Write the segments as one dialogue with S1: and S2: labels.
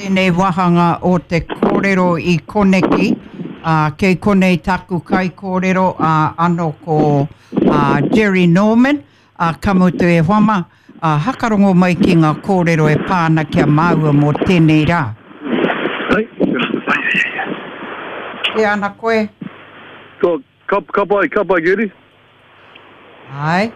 S1: Tēnei wāhanga o te kōrero i koneki, ā, kei konei tāku kaikōrero, ā, anō ko ā, Jerry Norman, ā, ka mutu e hoa mā, ā, hakarongo mai ki ngā kōrero e pā ana ki a māua mō tēnei rā.
S2: Ai, ai, ai, ai.
S1: Kē ana koe?
S2: Ko, ka, ka pai, ka pai, Gerry.
S1: Āe,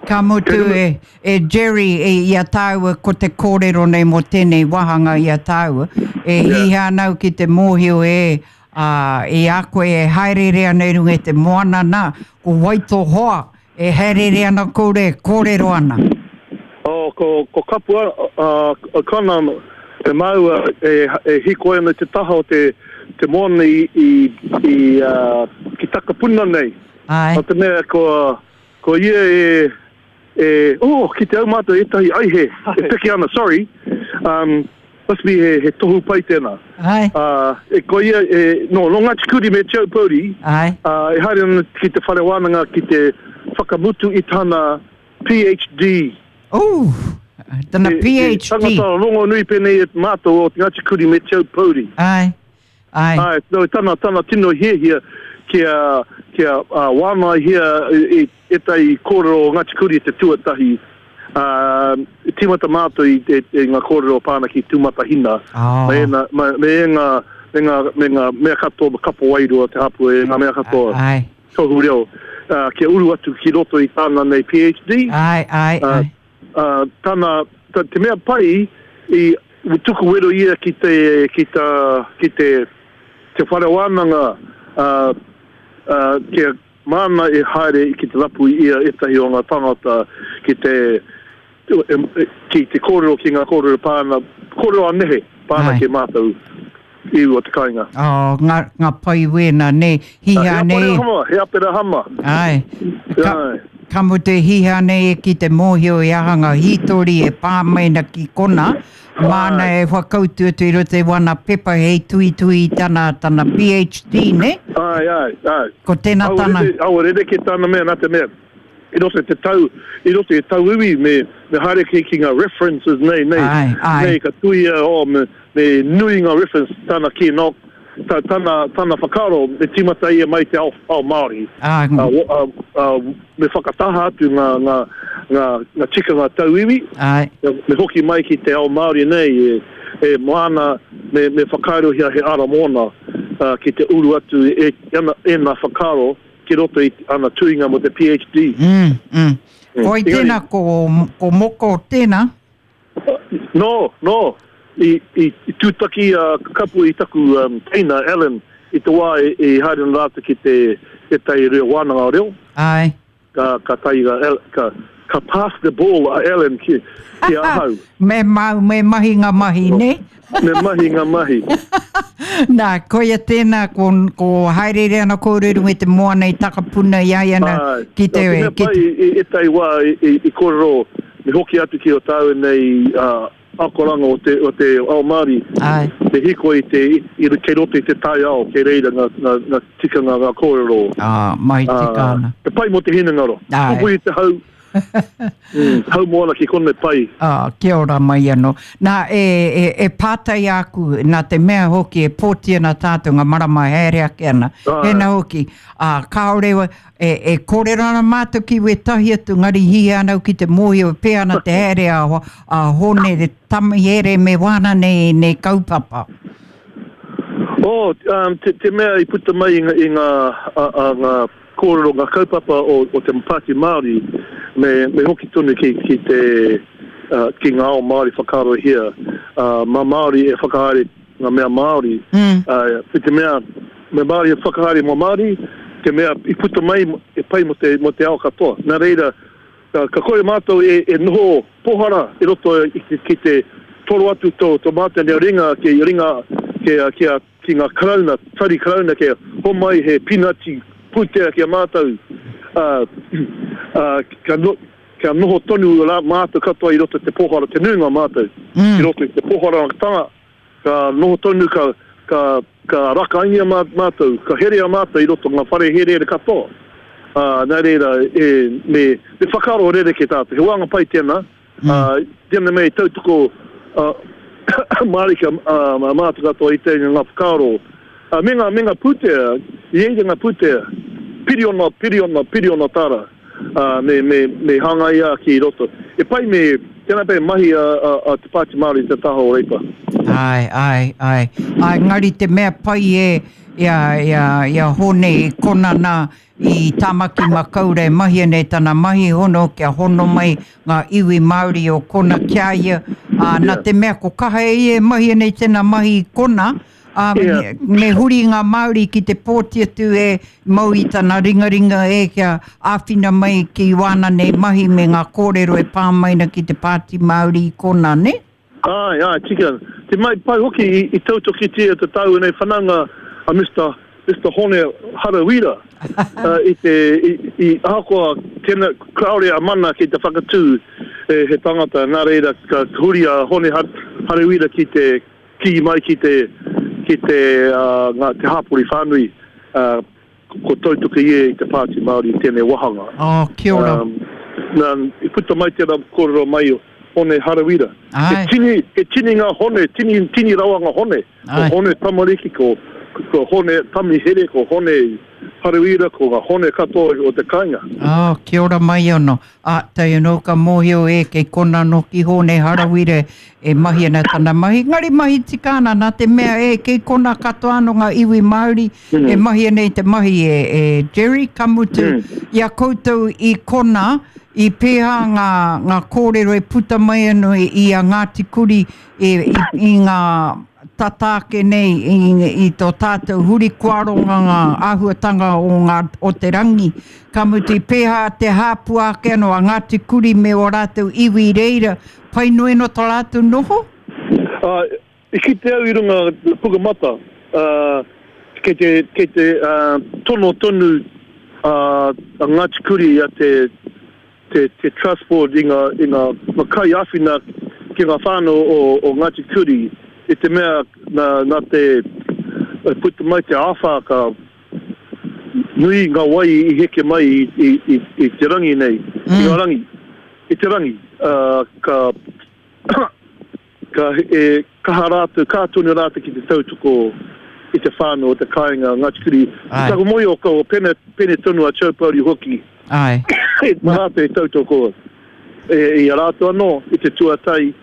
S1: ka mutu e, e Jerry, e, i a tāua ko te kōrero nei mō tēnei wāhanga i a tāua, e hiahia ana au ki te mōhio e, ā, i a koe e haereere ana i runga i te moana nā, ko wai tō hoa e haereere ana koutou e kōrero ana?
S2: Oh, ko, ko Kapua, uh, O'Connor, te māua e, e hīkoi ana i te taha o te, te moana i, i, i uh, ki Takapuna nei.
S1: Āe.
S2: Nā te mea ko, ko ia e, e, oh, kite au mātou ētahi aihe e peke ana, sorry, um, must be he, he tohu pai tēnā.
S1: Āe.
S2: Uh, e, ko ia, e, no, no Ngāti Kuri me Te Aupōuri,
S1: Āe.
S2: uh, e haere ana ki te whare wānanga ki te whakamutu i tana PhD.
S1: Ooh, tana PhD.
S2: He tangata rongonui pēnei e mātou o Ngāti Kuri me Te Aupōuri.
S1: Āe. Āe.
S2: Āe, no, tana, tana tino hiahia kia, kia uh, wānaihia i, i ētahi kōrero o Ngāti Kuri te tuatahi. Uh, i tīmata mātou i, i, i ngā kōrero pā ana ki Tūmatahina,
S1: oh.
S2: me, ēnā, me, me, ngā, me, ngā, me ngā mea katoa, kapo wairua te hapū, e ngā mea katoa.
S1: Āe.
S2: Tohu reo, uh, kia uru atu ki roto i tāna nei PhD.
S1: Āe, āe, āe.
S2: Uh, uh, tana, ta, te mea pai i tuku wero ia ki te, ki ta, ki te, te whare wānanga, uh, uh, kia māna e haere ki te rapu i ia ētahi o ngā tāngata ki te, ki te kōrero ki ngā kōrero pā ana, kōrero a nehe pā ana ki a mātou iwi o te kāinga.
S1: Oh, ngā, ngā pai wēnā, nē, hiha nei.
S2: He Aperahama, he Aperahama.
S1: Āe. Ka, ka mutu e hiha nei e ki te mōhio i aha ngā hītori e pā mai na ki kona, māna e whakautu atu i roto i wana pepa hei tuitui i tana, tana PhD, nē?
S2: Āe, āe, āe.
S1: Ko tēnā tana.
S2: Aua rerekē tana mea, nā te mea, i roto i te tau, i roto i tauiwi me, me haere ki, ki ngā references nei, nei,
S1: Āe, āe.
S2: nei ka tuia, oh, me, me nui ngā reference, tana kī, no, ta, tana, tana whakaaro, me tīmata ia mai te ao, ao Māori.
S1: Āe.
S2: Uh, uh, uh, me whakataha atu ngā, ngā, ngā, ngā tikanga tauiwi,
S1: Āe.
S2: me hoki mai ki te ao Māori nei, e, e māna, me, me whakaarohia he ara mōna, uh, ki te uru atu e, e, ēnā whakaaro, ki roto i ana tuhinga mō te PhD.
S1: Mm, mm. Koi tēnā, ko, ko Moko tēnā?
S2: No, no. I, i, i tūtaki a Kapu i taku um, teina, Alan, i te wā i, i haere ana rātou ki te tētahi reo wānanga reo.
S1: Āe.
S2: Ka, ka tae a, ka, ka pass the ball a Alan ki, ki ahau.
S1: Me mau, me mahi ngā mahi, nē?
S2: Me mahi ngā mahi.
S1: Nā, koia tēnā, ko, ko haereere ana kōrero i runga i te moana i Takapuna i a ia nā, ki te...
S2: Nā, te mea pai, i ētahi wā i, i, i kōrero, me hoki atu ki o tāua nei uh, akoranga o te, o te ao Māori,
S1: Āe.
S2: te hīkoi i te, i, kei roto i te taiao, kei reira ngā, ngā, ngā tikanga, ngā kōrero.
S1: Ā, mahi tika ana.
S2: Te pai mō te hinengaro.
S1: Āe.
S2: Pupuri te hau, mm, hau moana ki konei pai.
S1: Ā, kia ora mai anō. Nā, e, e, e pātai āku, nā te mea hoki e pōti ana tātou ngā marama e haere ake ana.
S2: Āe.
S1: Hēnā hoki, ā, kāore e, e kōrero ana mātou ki wētahi atu, engari hihia ana au ki te mōhio e pēhea ana te haere a, a Hōne Tamihere me wāna nei, nei kaupapa.
S2: Oh, um, te, te mea i puta mai i ngā, i ngā, a, a, ngā kōrero, ngā kaupapa o, o te Pāti Māori, me, me hoki tonu ki, ki te, uh, ki ngā ao Māori whakaarohia, uh, mā Māori e whakahaere ngā mea Māori,
S1: mm.
S2: uh, i te mea, me Māori e whakahaere mō Māori, te mea i puta mai e pai mō te, mō te ao katoa. Nā reira, ka, ka kore mātou e, e noho pohara i roto i, ki, ki te toro atu tō, tō mātou nei ringa ki ringa ki, ki, a, ki ngā karauna, tari karauna kia homai he pinati pūtea ki a mātou, ā, ā, kia, no, kia noho tonu rā mātou katoa i roto i te pohara, te nuinga o mātou, mm. i roto i te poharatanga, ka noho tonu, ka, ka, ka rakaingia mā, mātou, ka herea mātou i roto ngā whare herehere katoa. Ā, nā reira, e, me, me whakaaro rerekē tātou. He wānga pai tēnā, mm. ā, tēnā mea i tautoko, ā, Mārika mātou katoa i te ngā whakaaro me ngā, me ngā pūtea, i reira ngā pūtea, piriona, piriona, piriona tāra, me, me, me hāngaia ki roto. E pai me, tēnā pea mahi a, a, a te Pāti Māori i te taha o Reipa.
S1: Āe, āe, āe. Āe, engari te mea pai e, i a, i a, i a Hōne i kona nā, i Tāmaki Makaurau e mahia nei tana mahi hono kia hono mai ngā iwi Māori o kona ki a ia, ā, nā te mea ko kaha e ia e mahia nei tēnā mahi i kona, ā, me huri ngā Māori ki te pōti atu e mau i tana ringaringa e kia āwhina mai ki wāna nei mahi me ngā kōrero e pā mai ana ki te Pāti Māori i kona, nē?
S2: Āe, āe, tika. Te mahi pai hoki i, i tautokitia te tāua nei whanaunga a Mister, Mister Hone Harawira i te, i, i, ahakoa tena, kāore a Mana ki te whakatū e, he tangata, nā reira ka huri a Hone Harawira ki te kī mai ki te, ki te, uh, ngā, te hāpori whānui, uh, Ko tautoki ia i te Pāti Māori i tēnei wāhanga.
S1: Oh, kia ora. Um,
S2: nā, i puta mai tērā kōrero mai o Hone Harawira.
S1: Ai.
S2: He tini, he tini ngā hone, tini, tini rawa ngā hone. Ai. Ko Hone Tamariki, ko, ko Hone Tamihere, ko Hone Harawira, ko ngā hone katoa o te kāinga.
S1: Oh, kia ora mai anō. Ā, tae anō ka mōhio e kei konā anō ki Hōne Harawira e mahi ana tana mahi. Engari mahi tika ana nā te mea e kei konā katoa anō ngā iwi Māori e mahi ana i te mahi e, e Jerry, ka mutu i a koutou i konā, i pēhā ngā, ngā kōrero e puta mai anō i a Ngāti Kuri i, i, i ngā tata ake nei i, i tō tātou huri koaronga ngā āhuatanga o, ngā, o te rangi. Ka mutu i pēhā te hāpua ake anō a Ngāti Kuri me ō rātou iwi i reira, pai noa anō tā rātou noho?
S2: Uh, i kite au i runga Pukamata, uh, kei te, kei te uh, tono tonu uh, a Ngāti Kuri a te, te, te Trust Board i ngā, i ngā, ngā kaiāwhina ki ngā whānau o, o Ngāti Kuri i te mea nā, nā te puta mai te āwhā ka nui ngā wai i heke mai i, i, i, i te rangi nei, mm. i ngā rangi, i te rangi, uh, ka Ka e kaha rātou, kaha tonu rātou ki te tautoko i te whānau o te kāinga Ngāti Kuri.
S1: Āe.
S2: Taku mōhio ko Pene, Pene tonu a Chaupouri hoki.
S1: Āe.
S2: Nā rātou i tautoko e, i a rātou anō i te tuatai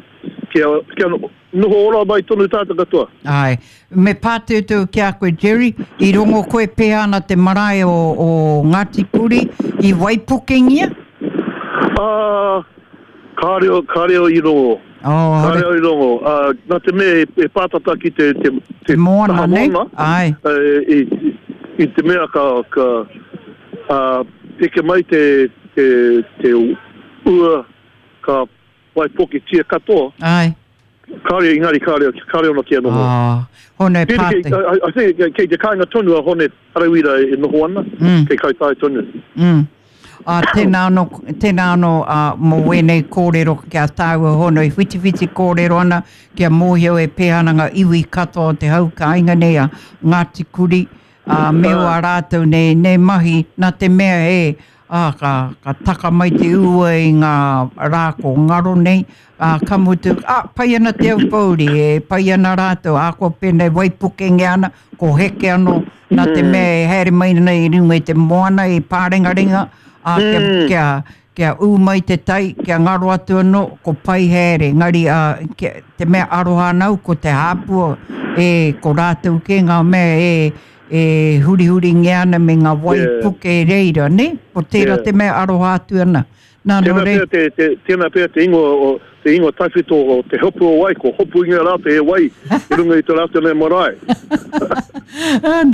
S2: kia, kia noho ora mai tonu tātou katoa.
S1: Āe. Me pātūtū ki a koe Jerry, i rongo koe pēhea ana te marae o, o Ngāti Kuri i waipukengia?
S2: Ā, kāre, kāre i rongo.
S1: Oh,
S2: Kāre au i rongo. Uh, nā te mea e, e pātata ki te, te,
S1: te moana, taha moana,
S2: Ai. Uh, i, i te mea ka, ka uh, heke mai te, te, te ua ka waipoketia katoa.
S1: Ai.
S2: Kāre, engari kāre, kāre ono kia noho.
S1: Oh, hone pāte.
S2: I, I think kei te kāinga tonu a Hone Harawira e noho ana,
S1: mm.
S2: kei Kaitaia tonu.
S1: Mm. Ā, tēnā anō, tēnā anō, ā, mō wēnei kōrero ki a tāua hono e whitiwhiti kōrero ana kia mōhio e pēhea ana ngā iwi katoa o te hau kāinga nei a Ngāti Kuri, ā, me wā rātou nei, nei mahi, nā te mea e, ā, ka, ka taka mai te ua i ngā rā ko ngaro nei, ā, ka mutu, ā, pai ana Te Aupōuri, e pai ana rātou, ahakoa pēnei waipukengia ana, ko heke anō, nā te mea e haere mai ana i runga i te moana i Pārengarenga, ā, kia, kia, kia ū mai te tai, kia ngaro atu anō, ko pai haere, engari, ā, kia, te mea aroha ana au, ko te hāpua, e, ko rātou kē ngā mea e, e hurihuringia ana me ngā wai puke reira, nē? Ko tērā te mea aroha atu ana.
S2: Nā, nō reira. Tēnā pea te, te, tēnā pea te ingoa o, te ingoa tawhito o te hopu o wai, ko hopungia rātou e wai i runga i tō rātou nei marae.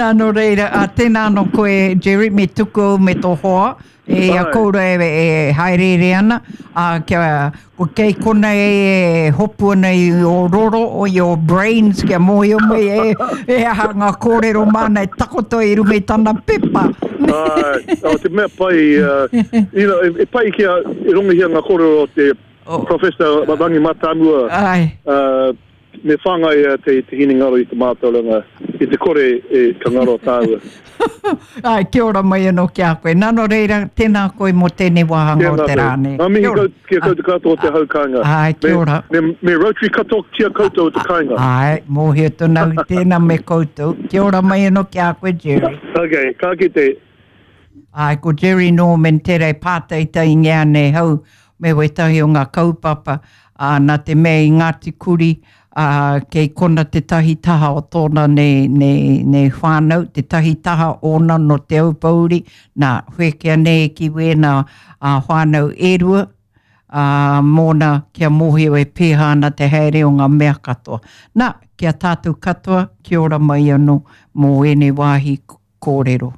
S1: Nā, nō reira, ā, tēnā anō koe, Jerry, me tuku au me tō hoa, e a kōrua e, e haereere ana, ā, kia, ko kei konei e, e hopu ana i ō roro, o i ō brains, kia mōhio mai e, e aha ngā kōrero māna e takoto i runga i tana pepa.
S2: Āe, oh, te mea pai, uh, you know, e, e pai kia e rongohia ngā kōrero o te oh. Professor Rangi Matamua.
S1: Āe.
S2: Uh, me whāngai te, te hinengaro i te mātauranga. I te kore e ka ngaro tāua.
S1: Āe, kia ora mai anō ki a koe. Nā, nō reira, tēnā koe mō tēnei wāhanga o te rā nei.
S2: Ngā mihi kau, ki a koutou katoa o te hau kāinga.
S1: Āe, kia ora.
S2: Me, me, me Rotary katoa ki a koutou o te kāinga.
S1: Āe, mōhio tonu au i tēnā me koutou. Kia ora mai anō ki a koe, Jerry.
S2: Ok, ka kite.
S1: Āe, ko Jerry Norman tērā e pātaitaingia nei hau me wētahi o ngā kaupapa, ā, nā te mea i Ngāti Kuri, ā, kei kona tētahi taha o tōna nei, nei, nei whānau, tētahi taha ōna nō Te Aupōuri, nā, whēkea nei ki wēnā ā, whānau e rua, ā, mōna kia mōhio e pēhā ana te haere o ngā mea katoa. Nā, ki a tātou katoa, kia ora mai anō mō ēnei wāhi kōrero.